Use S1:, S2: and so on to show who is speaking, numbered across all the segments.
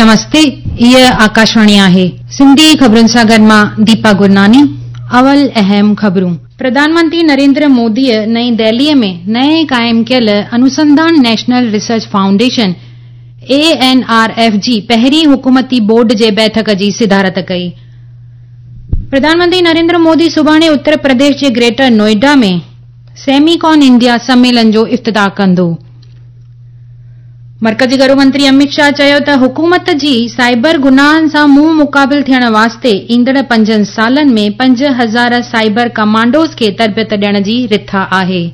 S1: نمستي هيء آڪاشواڻي آهي. سنڌي خبرن سان گڏ مان ديپا گرناني. اول اهم خبرون. پرڌان منتري نريندر موديء نئين دهليء ۾ نئين قائم ڪيل Anusandhan national research foundation, A N R F, جي پهرين حڪومتي بورڊ جي بيٺڪ جي صدارت ڪئي. پرڌان منتري نريندر مودي سڀاڻي اتر پرديش جي گريٽر نوئيڊا ۾ سيميڪان انڊيا سميلن جو افتتاح ڪندو. مرڪزي گهرو منتري امت شاهه چيو ته حڪومت جي سائبر گناهن سان منهن مقابل ٿيڻ واسطي ايندڙ پنجن سالن ۾ 5000 سائبر ڪمانڊوز کي تربيت ڏيڻ جي رٿا آهي.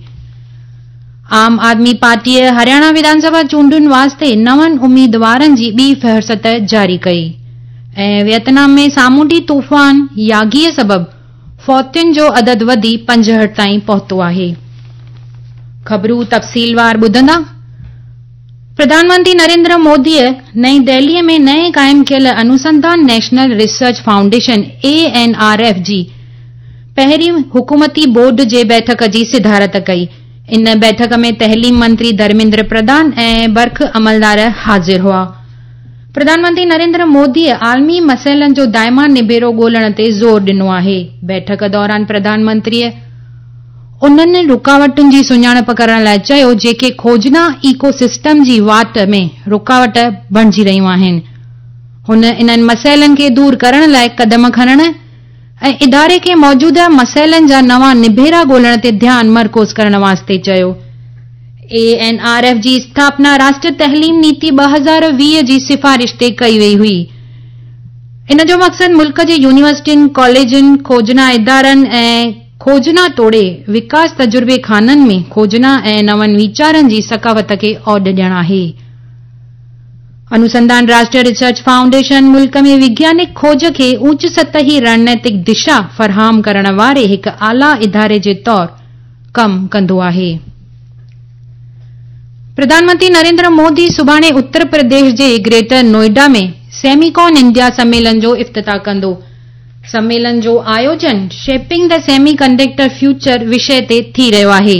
S1: عام آدمي پارٽيء هرياڻا وڌان سڀا چونڊن واسطي نون اميدوارن جي ٻي فهرست جاري ڪئي ۽ ويتنام ۾ سامونڊي طوفان ياگيء سبب فوتين جو عدد وڌي 65 تائين پهتو آهي. خبرون تفصيلوار ٻڌندا. پرڌان منتري نريندر موديء نئين دهليء ۾ نئين قائم ڪيل Anusandhan national research foundation, A N R F, جي پهرين حڪومتي بورڊ جي بيٺڪ جي صدارت ڪئي. ان بيٺڪ ۾ تعليم منتري ڌرميندر پرڌان ۽ برک عملدار حاضر هئا. پرڌان منتري نريندر موديء عالمي مسئلن جو دائمي نبيرو ڳولڻ تي زور ڏنو آهي. بيٺڪ دوران پرڌان منتريء انهن رڪاوٽن جي سڃاڻپ ڪرڻ لاء چيو جيڪي کوجنا ايڪو سسٽم جي واٽ ۾ رڪاوٽ بڻجي رهيون آهن. هن انهن مسئلن کي دور ڪرڻ لاء قدم کڻڻ ۽ اداري کي موجوده مسئلن جا نوان نبيرا ڳولڻ تي ڌيان مرڪوز ڪرڻ واسطي چيو. اي اين آر ايف جي اسٿاپنا راشٽريه تعليم نيتي 2020 جي سفارش تي ڪئي وئي هئي. ان جو مقصد ملڪ جي يونيورسٽين، ڪاليجن، کوجنا ادارن ۽ کوجنا توڙي وڪاس تجربي خانن ۾ کوجنا ۽ نون ويچارن جي ثقافت کي اوڏ ڏيڻ آهي. انوسنڌان راشٽريه ريسرچ فائونڊيشن ملڪ ۾ وگيانڪ کوج کي اوچ سطحي رڻنيتڪ دشا فراهم ڪرڻ واري هڪ اعليٰ اداري جي طور ڪم ڪندو آهي. پرڌان منتري نريندر مودي سڀاڻي اتر پرديش جي گريٽر نوئيڊا ۾ سيميڪان انڊيا سميلن جو افتتاح ڪندو. سميلن جو آيوجن shaping the semi conductor future وشي تي ٿي رهيو آهي.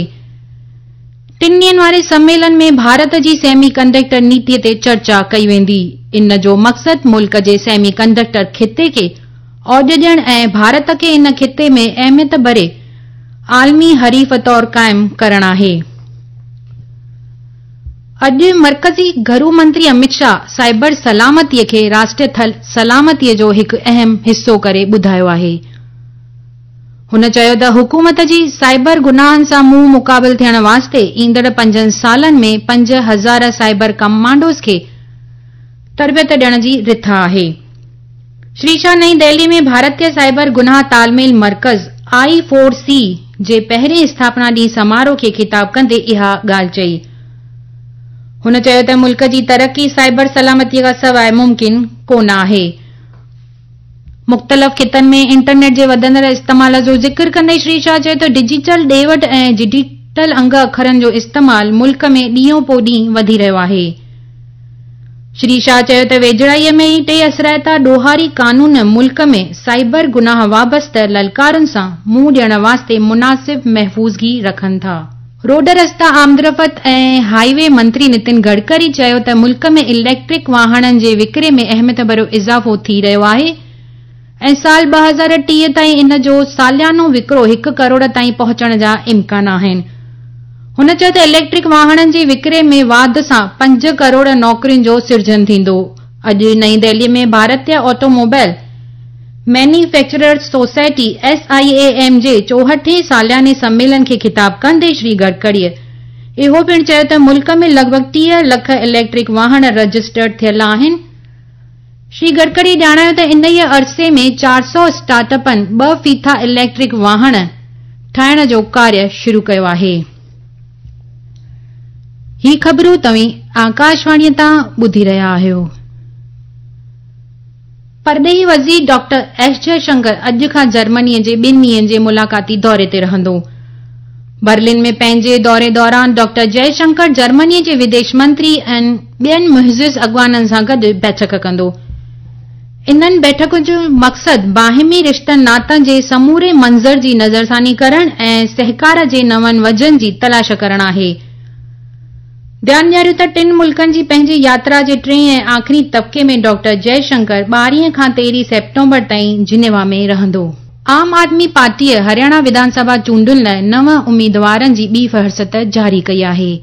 S1: ٽن ڏينهن واري سميلن ۾ ڀارت جي سيمي ڪنڊڪٽر نيتي تي چرچا ڪئي ويندي. ان جو مقصد ملڪ جي سيمي ڪنڊڪٽر خطي کي اوڄ ڏيڻ ۽ ڀارت کي ان خطي ۾ اهميت ڀري عالمي حريف طور قائم ڪرڻ آهي. اڄ مرڪزي گهرو منتري امت شاهه سائبر سلامتي کي راشٽريه سلامتي جو هڪ اهم حصو ڪري ٻڌايو آهي. هن چيو ته حڪومت جي سائبر گناهن سان منهن مقابل ٿيڻ واسطي ايندڙ پنجن سالن ۾ 5000 سائبر ڪمانڊوز کي تربيت ڏيڻ جي رٿا آهي. شري شاهه نئين دهلي ۾ ڀارتيه سائبر گناهه تال ميل مرڪز، آئي فور سي، جي پهرين اسٿاپنا ڏينهن سماروهه کي خطاب ڪندي اها ڳالهه چئي. هن چيو ته ملڪ جي ترقي سائبر سلامتي کان سواء ممڪن ڪونه آهي. مختلف خطن ۾ انٽرنيٽ جي وڌندڙ استعمال جو ذڪر ڪندي شري شاهه چيو ته ڊجيٽل ڏي وٺ ۽ ڊجيٽل انگ اکرن جو استعمال ملڪ ۾ ڏينهون پو ڏينهن وڌي رهيو آهي. شري شاهه چيو ته ويجهڙائيء ۾ ئي ٽي اثرائتا ڏوهاري قانون ملڪ ۾ سائبر گناهه وابسته للڪارن سان منهن ڏيڻ واسطي مناسب محفوظگي رکن ٿا. روڊ رستا آمدرفت ۽ هاء وي منتري نتن گڊڪري چيو ته ملڪ ۾ اليڪٽرڪ واهڻن جي وڪري ۾ اهميت ڀريو اضافو ٿي رهيو آهي ۽ سال 2030 تائين ان جو ساليانو وڪرو هڪ ڪروڙ تائين پهچڻ جا امڪان آهن. هن چيو ته اليڪٽرڪ واهڻن جي وڪري ۾ واڌ سان پنج ڪروڙ نوڪرين جو سرجن ٿيندو. اڄ نئين دهلي ۾ ڀارتيه automobile manufacturers society, S I A M, جي چوهٺين سالياني سميلن کي خطاب ڪندي شري گڊڪريء اهو پڻ چيو ته ملڪ ۾ لڳ ڀڳ 30 لک اليڪٽرڪ واهڻ رجسٽرڊ ٿيل آهن. شري گڊڪري ڄاڻايو ته انهيء عرصي ۾ 400 اسٽارٽ اپن ٻه ڦيٿا اليڪٽرڪ واهڻ ٺاهڻ جو ڪاريه شروع ڪيو آهي. هي خبرون توهين آڪاشواڻيء تان ٻڌي رهيا آهيو. پرڏيهي وزير ڊاڪٽر ايس جئه شنڪر اڄ کان جرمني جي ٻن ڏينهن جي ملاقاتي دوري تي رهندو. برلن ۾ پنهنجي دوري دوران ڊاڪٽر جئه شنڪر جرمني جي وديش منتري ۽ ٻين معزز اڳواڻن سان گڏ بيٺڪ ڪندو. انهن بيٺڪن جو مقصد باهمي رشتن ناتن جي سموري منظر جي نظرثاني ڪرڻ ۽ سهڪار جي نون وجهن جي تلاش ڪرڻ آهي. ڌيان ڏياريون ته ٽن ملڪن جي پنهنجي ياترا جي ٽئين ۽ آخري طبقي ۾ ڊاڪٽر جئي شنڪر 12 کان 13 سيپٽمبر تائين جنيوا ۾ رهندو. عام آدمي پارٽيء هرياڻا وڌان سڀا چونڊن لاء نو اميدوارن جي ٻي فهرست جاري ڪئي آهي.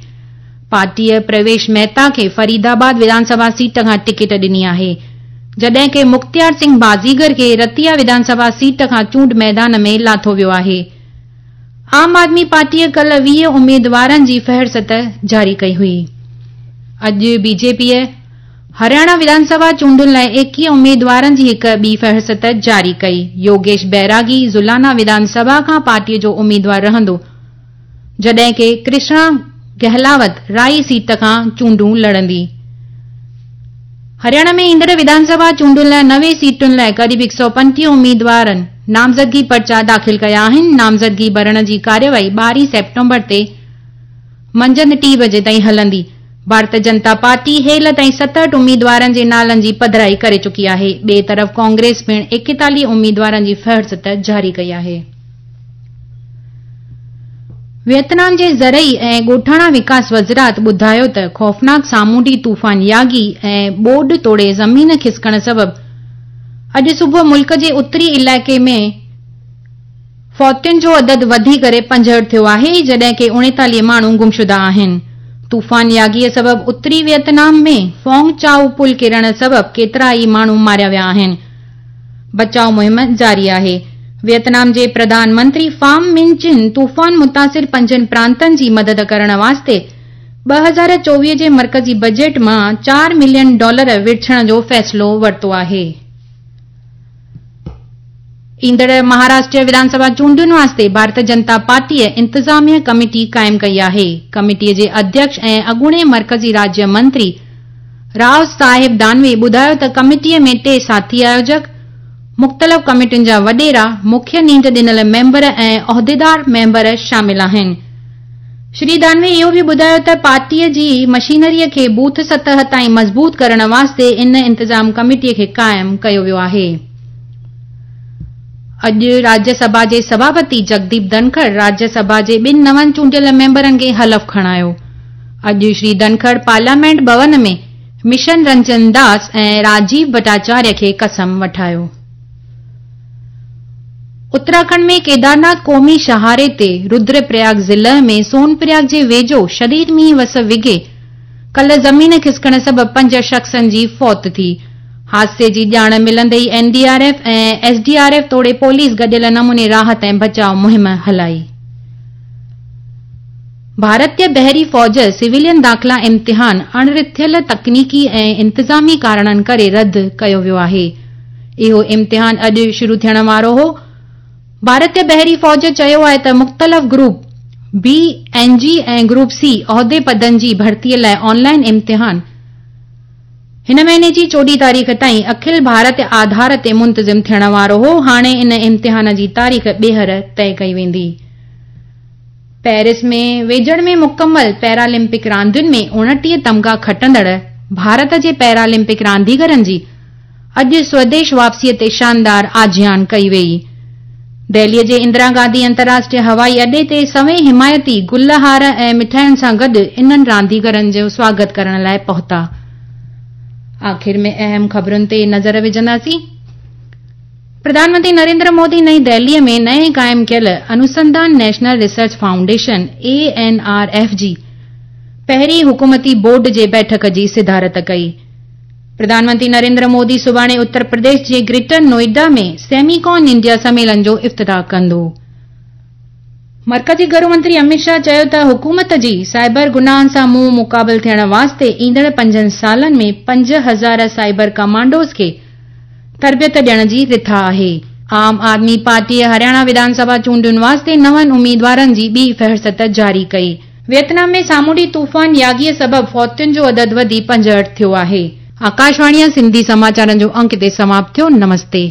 S1: پارٽيء پرويش مهتا کي فريد آباد وڌان سڀا سيٽ کان ٽڪيٽ ڏني آهي، جڏهن ڪه مختيار سنگهه بازيگر کي رتيا وڌان سڀا سيٽ کان چونڊ ميدان ۾ لاٿو ويو آهي. عام آدمي پارٽيء ڪلهه 20 اميدوارن جي فهرست جاري ڪئي هئي. اڄ بي جي پيء هرياڻا وڌان سڀا چونڊن لاء 21 اميدوارن جي هڪ ٻي فهرست جاري ڪئي. يوگيش بيراگي زلانا وڌان سڀا کان پارٽيء جو اميدوار رهندو، جڏهن ڪه ڪرشنا گهلاوت رائي سيٽ کان چونڊون لڙندي. هرياڻا ۾ ايندڙ وڌان سڀا چونڊن لاء 90 سيٽن لاء قريب 135 اميدوارن نامزدگي پرچا داخل ڪيا آهن. نامزدگي ڀرڻ جي ڪارروائي 12 سيپٽمبر تي منجهند 3 بجي تائين هلندي. ڀارتيه جنتا پارٽي هيل تائين 67 اميدوارن جي نالن جي پڌرائي ڪري چڪي آهي. ٻئي طرف ڪانگريس پڻ 41 اميدوارن جي فهرست جاري ڪئي آهي. ويتنام جي زرعي ۽ ڳوٺاڻا وڪاس وزارت ٻڌايو ته خوفناڪ سامونڊي طوفان ياگي ۽ ٻوڏ توڙي زمين کسڪڻ سبب اڄ صبح ملڪ جي اتري علائقي ۾ فوتين جو عدد وڌي ڪري 65 ٿيو آهي، جڏهن ڪه 39 ماڻهو گمشده آهن. طوفان ياگي سبب اتري ويتنام ۾ فونگ چائو پل ڪرڻ سبب ڪيترا ئي ماڻهو ماريا ويا آهن. بچاء مهم جاري آهي. ويتنام جي پرڌان منتري فام من چن طوفان متاثر پنجن پرانتن جي مدد ڪرڻ واسطي 2024 جي مرڪزي بجيٽ مان 4 ملين ڊالر ورڇڻ جو فيصلو ورتو آهي. ايندڙ مهاراشٽر وڌان سڀا چونڊن واسطي ڀارتيه جنتا پارٽيء انتظاميه ڪميٽي قائم ڪئي آهي. ڪميٽيء جي اڌيڪش ۽ اڳوڻي مرڪزي راجيه منتري رائو صاحب دانوي ٻڌايو ته ڪميٽيء ۾ ٽي ساٿي آيوجڪ، مختلف ڪميٽين جا وڏيرا، مکيه نينڍ ڏنل ميمبر ۽ عهديدار ميمبر شامل آهن. شري دانوي اهو به ٻڌايو ته پارٽيء جي مشينريء کي بوٿ سطح تائين مضبوط ڪرڻ واسطي ان انتظام ڪميٽيء کي قائم ڪيو ويو آهي. اڄ راجيه سڀا جي سڀاپتي جگديپ ڌنکڙ راجيه سڀا جي ٻن نون چونڊيل ميمبرن کي حلف کڻايو. اڄ شري ڌنکڙ پارليامينٽ ڀون ۾ مشن رنجن داس ۽ راجيو ڀٽاچاريه کي قسم وٺايو. اتراکنڊ ۾ ڪيدارناٿ قومي شاهراهه تي ردر پرياگ ضلع ۾ سون پرياگ جي ويجهو شديد مينهن وس وگهي ڪلهه زمين کسڪڻ سبب پنج شخصن جي فوت ٿي. حادثي جي ڄاڻ ملندي ئي N D R F ۽ S D R F توڙي پوليس گڏيل نموني راحت ۽ بچاء مهم هلائي. ڀارتي بحري فوج سويلين داخلا امتحان اڻرٿيل تڪنيڪي ۽ انتظامي ڪارڻن ڪري رد ڪيو ويو آهي. اهو امتحان اڄ شروع ٿيڻ وارو هو. ڀارتي بحري فوج چيو آهي ته مختلف گروپ بي، اين جي ۽ گروپ سي عهدي پدن جي ڀرتي لاء آن لائن امتحان هن مهيني جي 14 تاريخ تائين اکل ڀارت آڌار تي منتظم ٿيڻ وارو هو، هاڻي ان امتحان جي تاريخ ٻيهر طئي ڪئي ويندي. پيرس ۾ ويجهڙ ۾ مڪمل پيرالمپڪ راندين ۾ 29 تمغا کٽندڙ ڀارت جي پيرالمپڪ رانديگرن جي اڄ سوديش واپسيء تي شاندار آجيان ڪئي ويئي. دهليء جي اندرا گانڌي انترراشٽريه هوائي اڏي تي سوين حمايتي گل هار ۽ مٺاين سان گڏ انهن رانديگرن جو سواگت ڪرڻ لاء پهتا. آخر ۾ اهم خبرن تي نظر وجهنداسين. پرڌان منتري نريندر مودي نئين دهليء ۾ نئين قائم ڪيل Anusandhan national research foundation, A N R F, جي پهرين حڪومتي بورڊ جي بيٺڪ جي صدارت ڪئي. پرڌان منتري نريندر مودي سڀاڻي اتر پرديش جي گريٽر نوئيڊا ۾ سيميڪان انڊيا سميلن جو افتتاح ڪندو. مرڪزي گهرو منتري اميت شاهه چيو ته حڪومت جي سائبر گناهن سان منهن مقابل ٿيڻ واسطي ايندڙ پنجن سالن ۾ 5000 سائبر ڪمانڊوز کي تربيت ڏيڻ جي رٿا آهي. عام آدمي پارٽيء هرياڻا وڌان سڀا چونڊن واسطي نون اميدوارن جي ٻي فهرست جاري ڪئي. ويتنام ۾ سامونڊي طوفان ياگيء سبب فوتين جو عدد وڌي 65 ٿيو آهي. آڪاشواڻيء سنڌي سماچارن جو انڪ هتي سماپت ٿيو. نمستي.